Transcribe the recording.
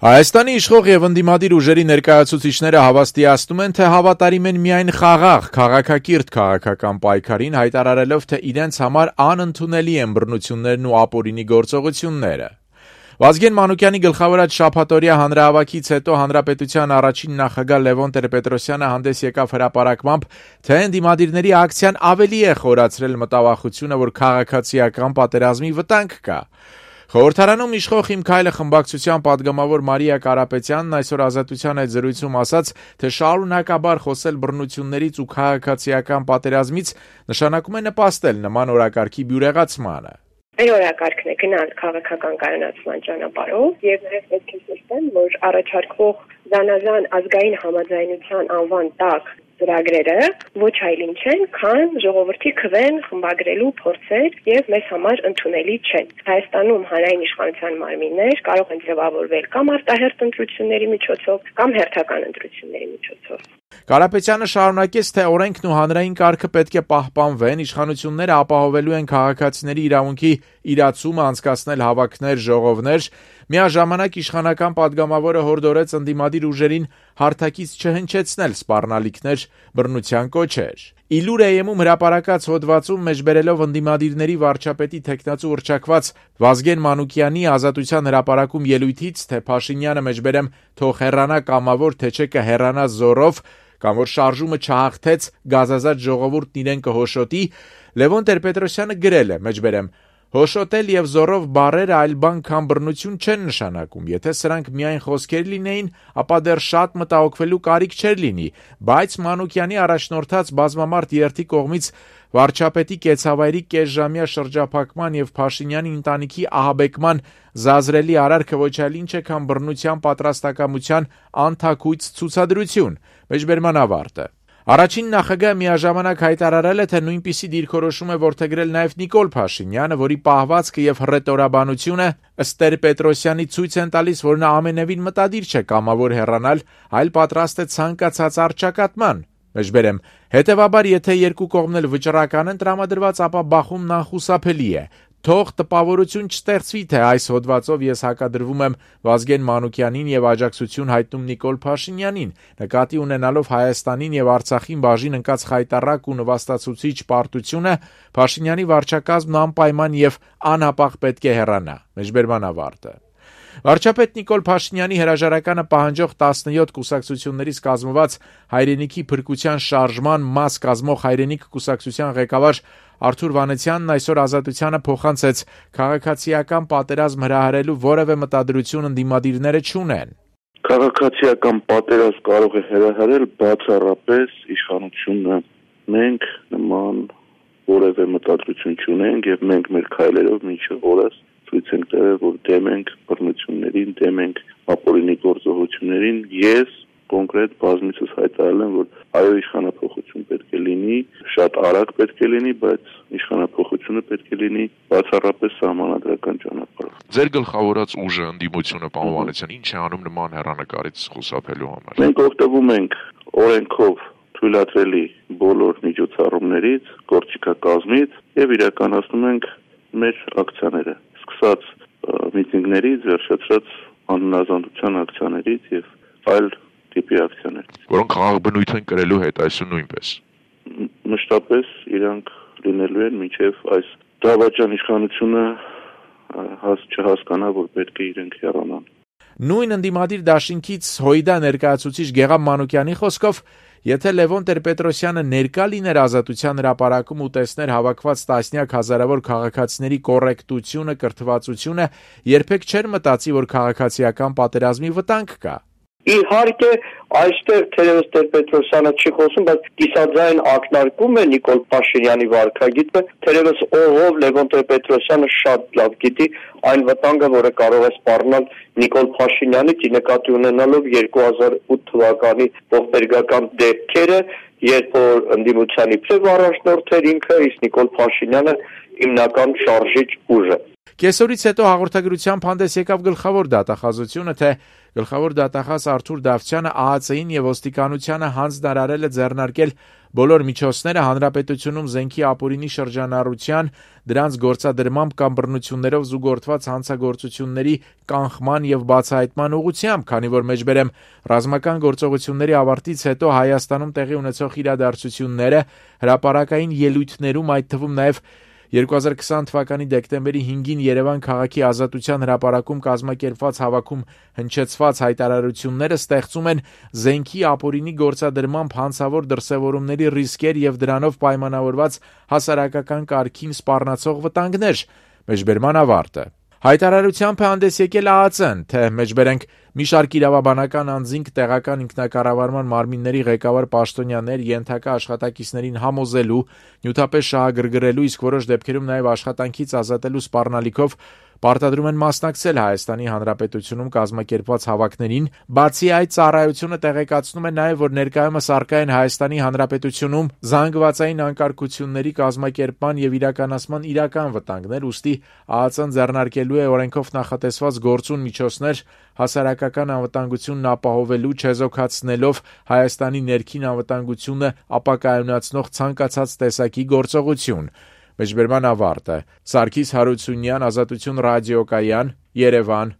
Հայաստանի իշխող եւ ընդդիմադիր ուժերի ներկայացուցիչները հավաստիացնում են, թե հավատարիմ են միայն խաղաղ, քաղաքակիրթ քաղաքական պայքարին, հայտարարելով, թե իրենց համար անընդունելի են բռնություններն ու ապօրինի գործողությունները։ Վազգեն Մանուկյանի գլխավորած շաբաթօրյա հանրահավաքից հետո հանրապետության առաջին նախագահ Լևոն Տեր-Պետրոսյանը հանդես եկավ հրապարակմամբ, թե ընդդիմադիրների ակցիան ավելի է խորացրել մտավախությունը, որ քաղաքացիական պատերազմի վտանգ կա։ Խորհրդարանում իշխող «Իմ քայլը» խմբակցության պատգամավոր Մարիա Կարապետյանն այսօր Ազատության հետ զրույցում ասաց, թե շարունակաբար խոսել բռնություններից ու քաղաքացիական պատերազմից նշանակում է նպաստել նման օրակարգի բյուրեղացմանը։ Մեր օրակարգն է գնալ քաղաքական կայունացման ճանապարհով եւ նաեւ պետք է նշեմ, որ առաջարկվող զանազան ազգային համաձայնության անվան տակ ծրագրերը ոչ այլ ինչ են, քան ժողովրդի քվեն խմբագրելու փորձեր եւ մեզ համար ընդունելի չեն։ Հայաստանում հանրային իշխանության մարմիններ կարող են ձևավորվել կամ արտահերթ ընտրությունների միջոցով, կամ հերթական ընտրությունների միջոցով։ Կարապետյանը շարունակեց, թե օրենքն ու հանրային կարգը պետք է պահպանվեն, իշխանությունները ապահովելու են քաղաքացիների իրավունքի իրացումը անցկացնել հավաքներ, ժողովներ։ Միաժամանակ իշխանական պատգամավորը հորդորեց ընդդիմադիր ուժերին հարթակից չհնչեցնել սպառնալիքներ, բռնության կոչեր։ Իլուր AM-ում հրապարակած հոդվածում մեջբերելով ընդդիմադիրների վարչապետի թեկնածու հռչակված Վազգեն Մանուկյանի Ազատության հրապարակում ելույթից, թե Փաշինյանը մեջբերեմ թող հեռանա կամավոր, թե չէ կհեռանա զորով, կամ որ շարժումը չհաղթեց, գազազած ժողովուրդն իրեն կհոշոտի, Լևոն Տեր-Պետրոսյանը գրել է մեջբերեմ. հոշոտել եւ զորով բառերը այլ բան քան բռնություն չեն նշանակում, եթե սրանք միայն խոսքեր լինեին, ապա դեռ շատ մտահոգվելու կարիք չէր լինի, բայց Մանուկյանի առաջնորդած բազմամարդ երթի կողմից վարչապետի կեցավայրի կեսժամյա շրջափակման եւ Փաշինյանի ընտանիքի ահաբեկման զազրելի արարքը ոչ այլ ինչ է, քան բռնության պատրաստակամության անթաքույց ցուցադրություն, մեջբերման ավարտը։ Առաջին նախագահը միաժամանակ հայտարարել է, թե նույնպիսի դիրքորոշում է որդեգրել նաև Նիկոլ Փաշինյանը, որի պահվածքը եւ հռետորաբանությունը ըստ Տեր-Պետրոսյանի ցույց են տալիս, որ նա ամենևին մտադիր չէ կամավոր հեռանալ, այլ պատրաստ է ցանկացած առճակատման։ Մեջբերեմ, հետևաբար, եթե երկու կողմն էլ վճռական են տրամադրված, ապա բախումն անխուսափելի է։ Թող տպավորություն չստեղծվի, թե այս հոդվածով ես հակադրվում եմ Վազգեն Մանուկյանին եւ աջակցություն հայտնում Նիկոլ Փաշինյանին, նկատի ունենալով Հայաստանին եւ Արցախին բաժին ընկած խայտառակ ու նվաստացուցիչ պարտությունը, Փաշինյանի վարչակազմն անպայման եւ անհապաղ պետք է հեռանա։ Մեջբերման ավարտը։ Վարչապետ Նիկոլ Փաշինյանի հրաժարականը պահանջող 17 կուսակցություններից կազմված հայրենիքի փրկության շարժման մաս կազմող հայրենիք կուսակցության ղեկավար Արթուր Վանեցյանն այսօր Ազատությանը փոխանցեց քաղաքացիական պատերազմ հրահրելու որևէ մտադրություն ընդդիմադիրները չունեն։ Քաղաքացիական պատերազմ կարող է հրահրել բացառապես իշխանությունը։ Մենք նման որևէ մտադրություն չունենք եւ մենք մեր քայլերով մինչեւ օրս ցույց ենք տվել, որ դեմ ենք բռնություններին, դեմ ենք ապօրինի գործողություններին։ Ես կոնկրետ բազմիցս հայտարարել եմ, որ այո, իշխանափոխություն պետք է լինի, շատ արագ պետք է լինի, բայց իշխանափոխությունը պետք է լինի բացառապես սահմանադրական ճանապարհով։ Ձեր գլխավորած ուժը ընդդիմությունը պահպանության ինչ է անում նման հեռանկարից խուսափելու համար։ Մենք օգտվում ենք օրենքով թույլատրելի բոլոր միջոցառումներից, գործիքակազմից եւ իրականացնում ենք մեր ակցիաները, սկսած միտինգներից, վերջացրած անհնազանդության ակցիաներից եւ այլ տիպի ակցիաներ, որոնք խաղաղ բնույթ են կրելու հետ այսօր նույնպես։ Մշտապես իրանք լինելու են մինչև այս դավաճան իշխանությունը չհասկանա, որ պետք է իրենք հեռանան։ Նույն ընդդիմադիր դաշինքից Հույդա ներկայացուցիչ Գեգամ Մանուկյանի խոսքով, եթե Լևոն Տեր-Պետրոսյանը ներկա լիներ Ազատության հրապարակում ու տեսներ հավաքված տասնյակ հազարավոր քաղաքացիների կոռեկտությունը, կրթվածությունը, երբեք չէր մտածի, որ քաղաքացիական պատերազմի վտանգ կա։ Իհարկե, այստեղ թերևս Տեր-Պետրոսյանը չի խոսում, բայց կիսաձայն ակնարկում է Նիկոլ Փաշինյանի վարքագիծը, թերևս ով Լևոն Տեր-Պետրոսյանը շատ լավ գիտի այն վտանգը, որը կարող է սպառնալ Նիկոլ Փաշինյանից, նկատի ունենալով 2008 թվականի ողբերգական դեպքերը, երբ որ ընդդիմության իբրև առաջնորդ էր ինքը, իսկ Նիկոլ Փաշինյանը հիմնական շարժիչ ուժը։ Կեսօրից հետո հաղորդագրությամբ հանդես եկավ գլխավոր դատախազությունը, թե գլխավոր դատախազ Արթուր Դավթյանը ԱԱՑ-ին եւ ոստիկանությանը հանձնարարել է ձեռնարկել Բոլոր միջոցները հանրապետությունում զենքի ապօրինի շրջանառության, դրանց գործադրմամբ կամ բռնություններով զուգորդված հանցագործությունների կանխման եւ բացահայտման ուղղությամբ, քանի որ մեջբերեմ ռազմական գործողությունների ավարտից հետո Հայաստանում տեղի ունեցող իրադարձությունները հրապարակային ելույթներում, այդ թվում նաեւ 2020 թվականի դեկտեմբերի 5-ին Երևան քաղաքի Ազատության հրապարակում կազմակերպված հավաքում հնչեցված հայտարարությունները ստեղծում են զենքի ապօրինի գործադրմամբ հանցավոր դրսևորումների ռիսկեր եւ դրանով պայմանավորված հասարակական կարգին սպառնացող վտանգներ։ Մեջբերման ավարտը։ Հայտարարությամբ է հանդես եկել ԱԱԾ-ն, թե մեջբերենք մի շարք իրավաբանական անձինք տեղական ինքնակառավարման մարմինների ղեկավար պաշտոնյաներ ենթակա աշխատակիցներին համոզելու, նյութապես շահագրգռելու, իսկ որոշ դեպքերում նաև աշխատանքից ազատելու սպառնալիքով պարտադրում են մասնակցել Հայաստանի Հանրապետությունում կազմակերպված հավաքներին, բացի այդ ծառայությունը տեղեկացնում է նաև, որ ներկայումս առկա են Հայաստանի Հանրապետությունում զանգվածային անկարգությունների կազմակերպման եւ իրականացման իրական վտանգներ, ուստի ԱԱԾ-ն ձեռնարկելու է օրենքով նախատեսված գործուն միջոցներ հասարակական անվտանգությունն ապահովելու, չեզոքացնելով Հայաստանի ներքին անվտանգությունը ապակայունացնող ցանկացած տեսակի գործողություն։ Մեջբերման ավարտը։ Սարգիս Հարությունյան, Ազատություն ռադիոկայան, Երևան,